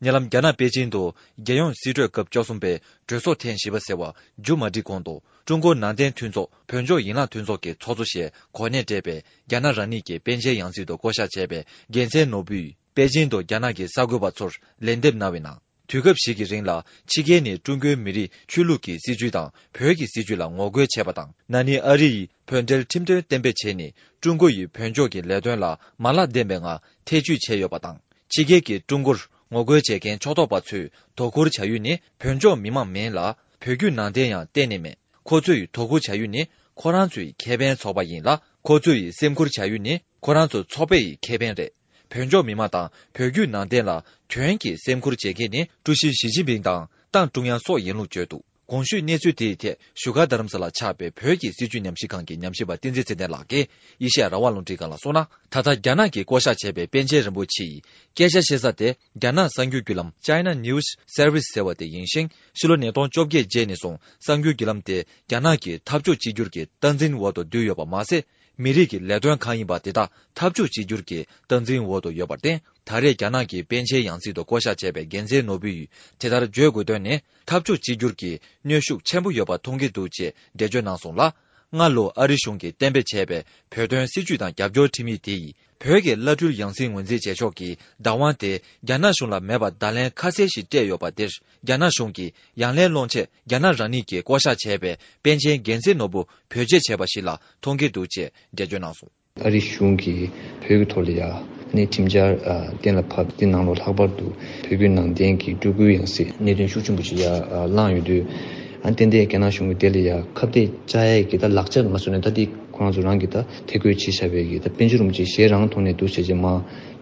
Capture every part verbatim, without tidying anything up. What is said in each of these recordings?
ཉེ་ལམ་རྒྱ་ནག་པེ་ཅིང་དུ་རྒྱལ་ཡོངས་སྲིད་གྲོས་སྐབས་བཅུ་གསུམ་པའི་གྲོས་ཚོགས་ཐེངས་བཞི་པ་ཟེར་བ་མཇུག་མ་སྒྲིལ་གོང་དུ། ཀྲུང་གོ་ནང་བསྟན་མཐུན་ཚོགས་བོད་ལྗོངས་ཡན་ལག་མཐུན་ཚོགས་ཀྱི་ཚོགས་གཙོ་ཞེས་གོ་གནས་སྤྲད་པའི་རྒྱ་ནག་རང་ཉིད་ཀྱི་པཎ་ཆེན་ཡང་སྲིད་དུ་བསྐོ་བཞག་བྱས་པའི་རྒྱལ་མཚན་ནོར་བུས། པེ་ཅིང་དུ་རྒྱ་ནག་གི་གསར་འགོད་པ་ཚོར་ལན་འདེབས་གནང་བའི་ནང་། དུས་སྐབས་ཤིག་གི་རིང་ལ་ཕྱི་རྒྱལ་ནས་ཀྲུང་གོའི་མི་རིགས་ཆོས་ལུགས་ཀྱི་སྲིད་བྱུས་དང་བོད་ཀྱི་སྲིད་བྱུས་ལ་ངོ་རྒོལ་བྱས་པ་དང་། ན་ནིང་ཨ་རི་ཡིས་བོད་འབྲེལ་ཁྲིམས་དོན་གཏན་འབེབས་བྱས་ནས། ཀྲུང་གོ་ཡིས་བོད་ལྗོངས་ཀྱི་ལས་དོན་ལ་མ་ལག་ལྡན་པའི་ངང་ཐེ་བྱུས་བྱས་ཡོད་པ་དང་། ཕྱི་རྒྱལ་གྱིས་ཀྲུང་གོར་ངོ་རྒོལ་བྱེད་མཁན་ཕྱོགས་གཏོགས་པ་ཚོས་དོ་ཁུར་བྱ་ཡུལ་ནི་བོད་ལྗོངས་མི་མང་མིན་ལ། བོད་བརྒྱུད་ནང་བསྟན་ཡང་གཏན་ནས་མེད། ཁོ་ཚོས་དོ་ཁུར་བྱ་ཡུལ་ནི་ཁོ་རང་ཚོའི་ཁེ་ཕན་ཚོགས་པ་ཡིན་ལ། ཁོ་ཚོས་སེམས་ཁུར་བྱ་ཡུལ་ནི་ཁོ་རང་ཚོ་ཚོགས་པའི་ཁེ་ཕན་རེད། བོད་ལྗོངས་མི་མང་དང་བོད་བརྒྱུད་ནང་བསྟན་ལ་དོན་གྱིས་སེམས་ཁུར་བྱེད་མཁན་ནི་ཀྲུའུ་ཞི་ཞི་ཅིན་ཕིང་དང་ཏང་ཀྲུང་དབྱང་སོགས་ཡིན་ལུགས་བརྗོད་འདུག་གོང་ཞུས་གནས་ཚུལ་དེའི་ཐད་བཞུགས་སྒར་རྡ་རམ་ས་ལར་ཆགས་པའི་བོད་ཀྱི་སྲིད་བྱུས་ཉམས་ཞིབ་ཁང་གི་ཉམས་ཞིབ་པ་བསྟན་འཛིན་ཚེ་བརྟན་ལགས་ཀྱིས་ཨེ་ཤེ་ཡ་རང་དབང་རླུང་འཕྲིན་ཁང་ལ་གསུངས་ན། ད་ལྟ་རྒྱ་ནག་གིས་བསྐོ་བཞག་བྱས་པའི་པཎ་ཆེན་རིན་པོ་ཆེ་ཡི་སྐད་ཆ་བཤད་ས་དེ་རྒྱ་ནག་གསར་འགྱུར་བརྒྱུད་ལམ་China News Service ཟེར་བ་དེ་ཡིན་ཞིང་། ཕྱི་ལོ་ཉིས་སྟོང་བཅོ་བརྒྱད་རྗེས་ནས་བཟུང་གསར་འགྱུར་བརྒྱུད་ལམ་དེ་རྒྱ་ནག་གི་འཐབ་ཕྱོགས་གཅིག་གྱུར་གྱི་སྟངས་འཛིན་འོག་ཏུ་བསྡུས་ཡོད་པ་མ་ཟད། མི་རིགས་ཀྱི་ལས་དོན་གང་ཡིན་པ་དེ་དག་འཐབ་ཕྱོགས་གཅིག་གྱུར་གྱི་སྟངས་འཛིན་འོག་ཏུ་ཡོད་པར་བརྟེན། ད་རེས་རྒྱ་ནག་གི་པཎ་ཆེན་ཡང་སྲིད་དུ་བསྐོ་བཞག་བྱས་པའི་རྒྱལ་མཚན་ནོར་བུ་ཡིས་དེ་ལྟར་བརྗོད་དགོས་དོན་ནི། འཐབ་ཕྱོགས་གཅིག་གྱུར་གྱི་གནོན་ཤུགས་ཆེན་པོ་ཡོད་པ་མཐོང་གི་འདུག་ཅེས་འགྲེལ་བརྗོད་གནང་སོང་ལ། སྔ་ལོ་ཨ་རི་གཞུང་གིས་གཏན་འབེབས་བྱས་པའི་བོད་དོན་སྲིད་བྱུས་དང་རྒྱབ་སྐྱོར་ཁྲིམས་ཡིག་དེ་ཡིས། བོད་ཀྱི་བླ་སྤྲུལ་ཡང་སྲིད་ངོས་འཛིན་བྱེད་ཕྱོགས་ཀྱི་བདག་དབང་དེ་རྒྱ་ནག་གཞུང་ལ་མེད་པར་བརྡ་ལན་ཁ་གསལ་ཞིག་སྤྲད་ཡོད་པ་དེར། རྒྱ་ནག་གཞུང་གིས་ཡང་ལན་སློང་ཆེད་རྒྱ་ནག་རང་ཉིད་ཀྱིས་བསྐོ་བཞག་བྱས་པའི་པཎ་ཆེན་རྒྱལ་མཚན་ནོར་བུ་བེད་སྤྱོད་བྱས་པ་ཞིག་ལ་མཐོང་གི་འདུག་ཅེས་འགྲེལ་བརྗོད་གནང་སོང་། ཨ་རི་གཞུང་གིས་བོད་ཀྱི་ཐོག་ལ་ཡ་ནི་ཁྲིམས་འཆར་ཨ་གཏན་ལ་ཕབ། དེ་ནང་ལོགས་ལྷག་པར་དུ་བོད་བརྒྱུད་ནང་བསྟན་གྱི་སྤྲུལ་སྐུའི་ཡང་སྲིད་གནད་དོན་ཤུགས་ཆེན་པོ་ཞིག་ཡ་ཨ་བསླངས་ཡོད་དུས། ཨ་ཏན་ཏན་རྒྱ་ནག་གཞུང་གིས་དེ་ལ་ཡ་ཁ་གཏད་བཅག་ཡས་ཀྱི་ད་ལག་ཆ་ང་ཚོ་ནས་ད་དེ་ཁོ་རང་ཚོ་རང་གིས་ད་ཐད་བསྐོས་བྱས་བཞག་པའི་གི་ད་པཎ་ཆེན་རིན་པོ་ཆེ་ཞལ་རང་ཐོག་ནས་འདུག་བྱས་རྗེས་མ་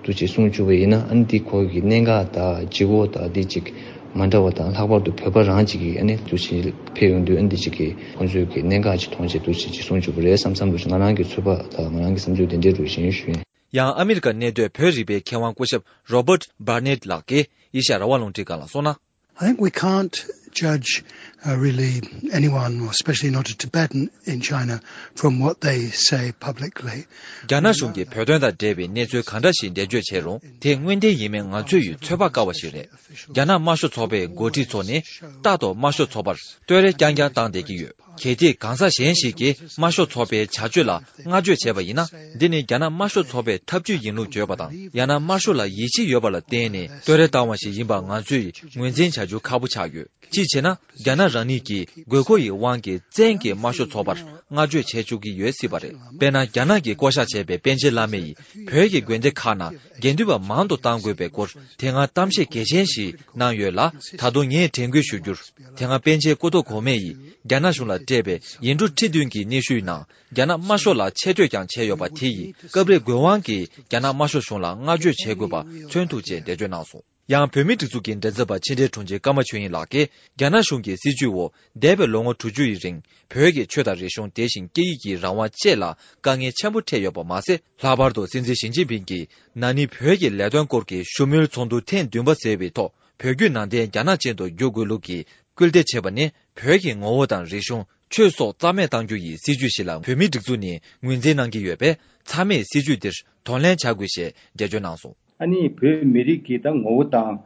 འདུག་ཅེས་གསུང་བཅུག་པ་ཡིན་ན། ཨ་ནི་འདི་ཁོ་གི་གནད་འགག་དང་ལྗིད་ཁོག་དང་འདི་ཅིག་མ་འདྲ་བ་དང་། ལྷག་པར་དུ་བོད་པ་རང་ཅིག་གིས་ཨ་ནི་འདུག་ཅིག་ཕེབས་ཡོང་དུས། ཨ་ནི་འདི་ཅིག་གིས་ཁོང་ཚོས་ཀྱི་གནད་འགག་ཅིག་མཐོང་བྱས་འདུག་ཅིག་ཅིག་གསུང་བཅུག་པ་རེད་བསམ་བསམ་འདུག་ང་རང་གི་ཚོད་དཔག་དང་ང་རང་གི་བསམ་ཚུལ་དེ་འདྲའི་རུ་བཞེངས་ཞུ་ཡིན། ཡང་ཨ་མི་རི་ཀ་གནས་སྡོད་བོད་རིག་པའི་མཁས་དབང་སྐུ་ཞབས་Robert Barnett ལགས་ཀྱིས་ཨེ་ཤ་ཡ་རང་དབང་རླུང་འཕྲིན་ཁང་ལ་གསུངས་ན། I think we can't judge uh, really anyone, or especially not a Tibetan in China, from what they say publicly. རྒྱ་ནག་གཞུང་གིས་བོད་དོན་དང་འབྲེལ་བའི་གནས་ཚུལ་གང་འདྲ་ཞིག་འགྲེལ་བརྗོད་བྱས་རུང་། དེ་དངོས་བདེན་ཡིན་མིན་ང་ཚོས་ཡི་ཚོད་དཔག་དཀའ་བ་ཞིག་རེད། རྒྱ་ནག་དམར་ཤོག་ཚོགས་པའི་འགོ་ཁྲིད་ཚོ་ནི་རྟག་ཏུ་དམར་ཤོག་ཚོགས་པར་བསྟོད་ར་རྐྱང་རྐྱང་བཏང་བསྡད་ཀྱི་ཡོད། གལ་ཏེ་གང་ཟག་གཞན་ཞིག་གིས་དམར་ཤོག་ཚོགས་པའི་བྱ་སྤྱོད་ལ་བསྔགས་བརྗོད་བྱས་པ་ཡིན་ན། འདི་ནི་རྒྱ་ནག་དམར་ཤོག་ཚོགས་པའི་ཐབས་ཇུས་ཡིན་ལུགས་བརྗོད་པ་དང་། ཡང་ན་དམར་ཤོག་ལ་ཡིད་ཆེས་ཡོད་པ་ལ་བརྟེན་ནས་བསྟོད་ར་བཏང་བ་ཞིག་ཡིན་པ་ང་ཚོས་ངོས་འཛིན་བྱ་རྒྱུ་ཁག་པོ་ཆགས་ཡོད། གཅིག་བྱས་ན། རྒྱ་ནག་རང་ཉིད་ཀྱི་དགོས་མཁོ་ཡི་དབང་གིས་བཙན་གྱིས་དམར་ཤོག་ཚོགས་པར་བསྔགས་བརྗོད་བྱེད་བཅུག་གི་ཡོད་སྲིད་པ་རེད། དཔེར་ན། རྒྱ་ནག་གིས་བསྐོ་བཞག་བྱས་པའི་པཎ་ཆེན་བླ་མ་ཡིས་བོད་ཀྱི་དགོན་སྡེ་ཁག་ནང་དགེ་འདུན་པ་མང་དུ་གཏང་དགོས་པའི་སྐོར་དེ་སྔ་གཏམ་བཤད་གལ་ཆེན་ཞིག་གནང་ཡོད་ལ། ད་དུང་ངས་དྲན་སྐུལ་ཞུ་རྒྱུར། དེ་སྔ་པཎ་ཆེན་སྐུ་ཐོག་གོང་མ་ཡིས་རྒྱ་ནག་གཞུང་ལ་སྤྲད་པའི་ཡིག་འབྲུ་ཁྲི་བདུན་གྱི་སྙན་ཞུའི་ནང་། རྒྱ་ནག་དམར་ཤོག་ལ་ཆེ་བསྟོད་ཀྱང་བྱས་ཡོད་པ་དེ་ཡིས་སྐབས་རེ་དགོས་དབང་གིས་རྒྱ་ནག་དམར་ཤོག་གཞུང་ལ་བསྔགས་བརྗོད་བྱེད་དགོས་པ་མཚོན་ཐུབ་ཅེས་འགྲེལ་བརྗོད་གནང་སོང་། ཡང་བོད་མིའི་སྒྲིག་འཛུགས་ཀྱི་མགྲིན་ཚབ་པ་ཕྱི་འབྲེལ་དྲུང་ཆེ་ཀརྨ་ཆོས་དབྱིངས་ལགས་ཀྱིས། རྒྱ་ནག་གཞུང་གི་སྲིད་བྱུས་འོག་འདས་པའི་ལོ་ངོ་དྲུག་ཅུ་ཡི་རིང་། བོད་ཀྱི་ཆོས་དང་རིག་གཞུང་། དེ་བཞིན་སྐད་ཡིག་གི་རང་དབང་བཅས་ལ་དཀའ་ངལ་ཆེན་པོ་འཕྲད་ཡོད་པ་མ་ཟད། ལྷག་པར་དུ་སྲིད་འཛིན་ཞི་ཅིན་ཕིང་གིས་ན་ནིང་བོད་ཀྱི་ལས་དོན་སྐོར་གྱི་བཞུགས་མོལ་ཚོགས་འདུ་ཐེངས་བདུན་པ་ཟེར་བའི་ཐོག་བོད་བརྒྱུད་ནང་བསྟན་རྒྱ་ནག་ཅན་དུ་བསྒྱུར་དགོས་ལུགས་ཀྱི་སྐུལ་འདེད་བྱས་པ་ནི། བོད་ཀྱི་ངོ་བོ་དང་རིག་གཞུང་། ཆོས་སོགས་རྩ་མེད་གཏང་རྒྱུ་ཡི་སྲིད་བྱུས་ཤིག་ལ་བོད་མིའི་སྒྲིག་འཛུགས་ནས་ངོས་འཛིན་གནང་གི་ཡོད་པས། མཚམས་མེད་སྲིད་བྱུས་འདིར་གདོང་ལེན་བྱ་དགོས་ཞེས་འགྲེལ་བརྗོད་གནང་སོང་། ཨ་ནི་བོད་མི་རིགས་ཀྱི་ད་ངོ་བོ་དང་།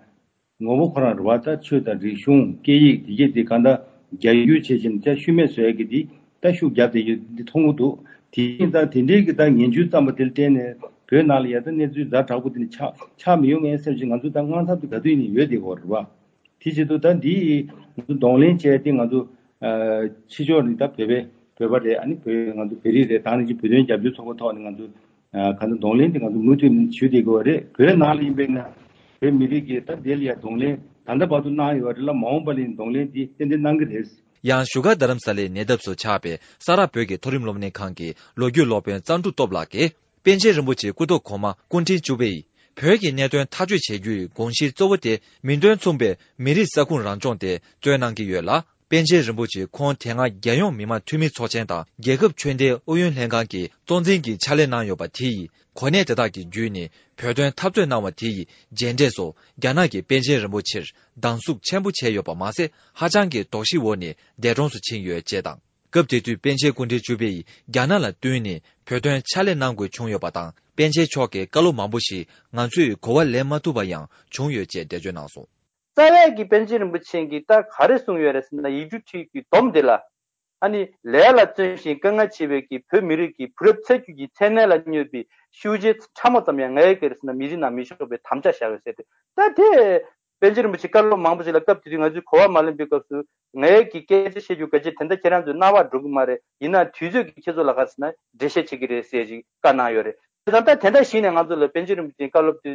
ངོ་བོ་ཁོ་རང་རེད་བ། ད་ཆོས་དང་རིག་གཞུང་། སྐད་ཡིག་དེ་གས་དེ་གང་ལྟར་རྒྱ་སྒྱུར་བྱེད་བཞིན་ད་ཤུལ་མེད་བཟོ་ཡ་གི་དེ་ད་ཤུགས་རྒྱབ་བསྡད་ཡོད་འདི་མཐོང་གི་འདུག་དེ་བཞིན་ད་དེ་འདྲའི་གི་ད་ངན་ཇུས་བརྩམས་པ་དེ་ལ་བརྟེན་ནས་བོད་ནང་ལ་ཡ་ད་གནས་ཚུལ་ཛ་དྲག་པོ་དེ་ནི་ཆགས་ཆགས་མི་ཡོང་ངའི་སེམས་ཤིག་ང་ཚོ་ད་དངངས་འཚབ་དེ་ག་དུས་ནས་ཡོད་བསྡད་ཀྱི་ཡོད་རེད་བ། དེ་བྱེད་དུས་ད་འདི་ང་ཚོ་གདོང་ལེན་བྱས་ཏེ་ང་ཚོ་ཨ་ཕྱི་ཕྱོགས་ནས་ད་བོད་པའི་བོད་པ་རེད། ཨ་ནི་བོད་ང་ཚོ་བོད་རིགས་རེད། ད་ནི་ཅིག་བོད་དོན་རྒྱབ་སྐྱོར་ཚོགས་པ་ཐོག་ནས་ང་ཚོ་ཨ་ག་ཚོད་གདོང་ལེན་དེ་ང་ཚོ་མུ་མཐུད་ནས་ཞུ་བསྡད་དགོས་པ་རེད། བོད་ནང་ལ་ཡིན་པས་ན་བོད་མི་རིགས་ཀྱིས་ད་དེ་ལ་ཡ་གདོང་ལེན་ད་ལྟ་བར་དུ་གནང་ཡོད་པ་རེད་ལ། མ་འོངས་པ་ལ་ཡིན་གདོང་ལེན་དེ་ཏན་ཏན་གནང་གི་རེད། ཡང་བཞུགས་སྒར་རྡ་རམ་ས་ལའི་ཉེ་འདབས་སུ་ཆགས་པའི་ས་རཱ་བོད་ཀྱི་མཐོ་རིམ་སློབ་གཉེར་ཁང་གི་ལོ་རྒྱུས་སློབ་དཔོན་གཙང་ཕྲུག་སྟོབས་ལགས་ཀྱིས། པཎ་ཆེན་རིན་པོ་ཆེ་སྐུ་ཐོག་གོང་མ་སྐུ་ཕྲེང་བཅུ་པས་བོད་ཀྱི་གནད་དོན་ཐག་གཅོད་བྱེད་རྒྱུའི་དགོངས་གཞི་གཙོ་བོ་དེ་མིང་དོན་མཚུངས་པའི་མི་རིགས་ས་ཁུངས་རང་སྐྱོང་དེ་རྩོད་གནང་གི་ཡོད་ལ། པཎ་ཆེན་རིན་པོ་ཆེ་ཁོང་དེ་སྔ་རྒྱལ་ཡོངས་མི་དམངས་འཐུས་མི་ཚོགས་ཆེན་དང་རྒྱལ་ཁབ་ཆོས་ལྡན་ཨུ་ཡོན་ལྷན་ཁང་གི་གཙོ་འཛིན་གྱི་ཕྱག་ལས་གནང་ཡོད་པ་དེ་ཡིས། གོ་གནས་དེ་དག་གི་བརྒྱུད་ནས་བོད་དོན་འཐབ་རྩོད་གནང་བ་དེ་ཡི་རྗེས་འབྲས་སུ། རྒྱ་ནག་གིས་པཎ་ཆེན་རིན་པོ་ཆེར་སྡང་ཟུག་ཆེན་པོ་བྱས་ཡོད་པ་མ་ཟད། ཧ་ཅང་གི་དོགས་གཞིའི་འོག་ནས་འདས་གྲོངས་སུ་ཕྱིན་ཡོད་ཅེས་དང་། སྐབས་དེ་དུས་པཎ་ཆེན་སྐུ་ཕྲེང་བཅུ་པས་རྒྱ་ནག་ལ་བསྟུན་ནས་བོད་དོན་ཕྱག་ལས་གནང་དགོས་བྱུང་ཡོད་པ་དང་ པཎ་ཆེན་མཆོག་གིས་བཀའ་སློབ་མང་པོ་ཞིག་ང་ཚོས་གོ་བ་ལེན་མ་ཐུབ་པ་ཡང་བྱུང་ཡོད་ཅེས་འགྲེལ་བརྗོད་གནང་སོང་། རྩ་བའི་གི་པཎ་ཆེན་རིན་པོ་ཆེ་གིས་ད་ག་རེ་གསུངས་ཡོད་རེད་ཟེར་ན། ཡིག་འབྲུ་ཁྲིད་ཀྱི་སྡོམ་འདི་ལ། ཨ་ནི་ལས་ལ་བརྩོན་ཞིང་དཀའ་ངལ་ཆེ་བའི་གི་བོད་མི་རིགས་ཀྱི་བུ་རབས་ཚ་རྒྱུད་ཀྱི་མཚན་གནས་ལ་སྨྱོས་པའི་ཤུལ་རྗེས་ཕྲ་མོ་ཙམ་ཡང་ངའི་གེར་ཟེར་ན་མི་རིགས་ནང་མི་ཤོར་བའི་དམ་བཅའ་བཞག་ཡོད་ཟེར་ཏེ། ད་དེ་པཎ་ཆེན་རིན་པོ་ཆེ་བཀའ་སློབ་མང་པོ་ཞིག་ལ་སྐབས་དེ་དུས་ང་ཚོས་གོ་བ་མ་ལོན་པའི་སྐབས་སུ། ངའི་གི་སྐད་ཆ་བཤད་རྒྱུ་ག་ཅི་དེ་འདྲ་ཁྱེད་རང་ཚོའི་རྣ་བར་འགྲོ་གི་མ་རེད། ཡིན་ན་དུས་ཚོད་ཀྱིས་ཁྱེད་ཚོ་ལ་ག་ཟེར་ན་འགྲེལ་བཤད་བྱེད་ཀྱི་རེད་ཟེར་ཅིག་བཀའ་གནང་ཡོད་རེད། དེ་དང་ད་དེ་འདྲ་ཞིག་ནས་ང་ཚོ་ལ་པཎ་ཆེན་རིན་པོ་ཆེའི་བཀའ་སློབ་དེ་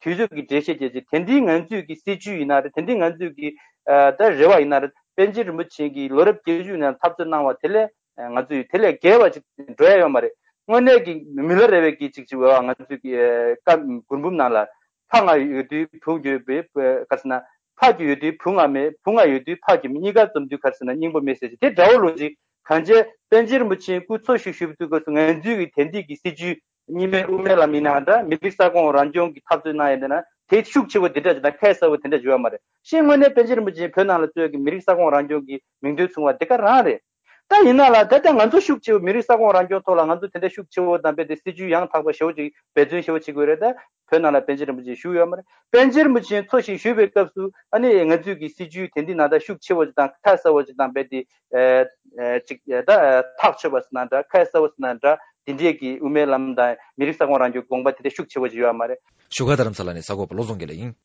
ཚོའི་དུས་ཚོད་ཀྱི་འགྲེལ་བཤད་བྱས་ཅིག་དེ་འདྲའི་ང་ཚོའི་གི་སྲིད་བྱུས་ཡིན་ན་རེད། དེ་འདྲའི་ང་ཚོའི་གི་ཨ་ད་རེ་བ་ཡིན་ན་རེད། པཎ་ཆེན་རིན་པོ་ཆེ་གིས་ལོ་རབས་བརྒྱད་ཅུ་ནས་འཐབ་རྩོད་གནང་བ་དེ་ལས་ང་ཚོས་དེ་ལས་བརྒལ་བ་ཅིག་འགྲོ་ཡ་ཡོད་མ་རེད། དངོས་གནས་ཀྱི་མི་ལ་རས་པའི་གི་ཅིག་ཅིག་འོ་ང་ཚོས་ཀྱི་ཨ་བཀའ་མགུར་འབུམ་ནང་ལ། ཕ་ང་ཡོད་དུས་བུ་ཡོད་པའི་ག་ཟེར་ན། ཕ་གི་ཡོད་དུས་བུ་ང་མེད། བུ་ང་ཡོད་དུས་ཕ་གི་མེད། གཉིས་ཀ་འཛོམས་དུས་ག་ཟེར་ན་སྙིང་པོ་མེད་ཟེར་ཅིག་དེ་འདྲ་བོ་ལོ་ཅིག་གང་བྱས་པཎ་ཆེན་རིན་པོ་ཆེ་སྐུ་འཚོ་བཞུགས་བཞུགས་དུས་སྐབས་སུ་ང་ཚོའི་གི་དེང་དུས་ཀྱི་སྲིད་བྱུས་གཉིས་སྨན་དབུ་མའི་ལམ་ཡིན་ན་འདྲ། མི་རིགས་ས་ཁོངས་རང་སྐྱོང་གི་འཐབ་རྩོད་གནང་ཡ་འདི་ན་དེ་ཤུགས་ཆེ་བོ་དེ་འདྲ་ཅིག་དང་ཁ་གསལ་བོ་དེ་འདྲ་བརྗོད་ཡ་མ་རེད། ཤེས་དངོས་གནས་པཎ་ཆེན་རིན་པོ་ཆེ་བོད་ནང་ལ་གཙོས་ཀྱི་མི་རིགས་ས་ཁོངས་རང་སྐྱོང་གི་མིང་དོན་མཚུངས་པ་དེ་ག་རང་རེད། ད་ཡིན་ན་ལ་ད་ལྟ་ང་ཚོ་ཤུགས་ཆེ་བོ་མི་རིགས་ས་ཁོངས་རང་སྐྱོང་ཐོག་ལ་ང་ཚོ་དེ་འདྲ་ཤུགས་ཆེ་བོ་དང་རྦད་དེ་སྲིད་བྱུས་ཡང་དག་པ་ཞེ་བོ་ཅིག་འབད་བརྩོན་ཞེ་བོ་བྱེད་དགོས་རེད། ད་བོད་ནང་ལ་པཎ་ཆེན་རིན་པོ་ཆེ་བཞུགས་ཡོད་མ་རེད། པཎ་ཆེན་རིན་པོ་ཆེ་འཚོ་ཞིང་བཞུགས་པའི་སྐབས་སུ་ཨ་ནི་ང་ཚོས་ཀྱི་སྲིད་བྱུས་དེ་འདི་ནང་ད་ཤུགས་ཆེ་བོ་ཅིག་དང་ཁ་གསལ་བོ་ཅིག་དང་རྦད་དེ་ཨ་ཅིག་ད་ཐག་ཆོད་པ་ཟེར་ན་འདྲ། ཁ་གསལ་བོ་ཟེར་ན་འདྲ། དེ་འདྲས་ཀྱི་དབུ་མའི་ལམ་དང་མི་རིགས་ས་ཁོངས་རང་སྐྱོང་དགོངས་པ་དེ་འདྲ་ཤུགས་ཆེ་བོ་ཅིག་ཡོད་མ་རེད། བཞུགས་སྒར་རྡ་རམ་ས་ལ་ནས་གསར་འགོད་པ་བློ་བཟང་དགེ་ལེགས་ཡིན།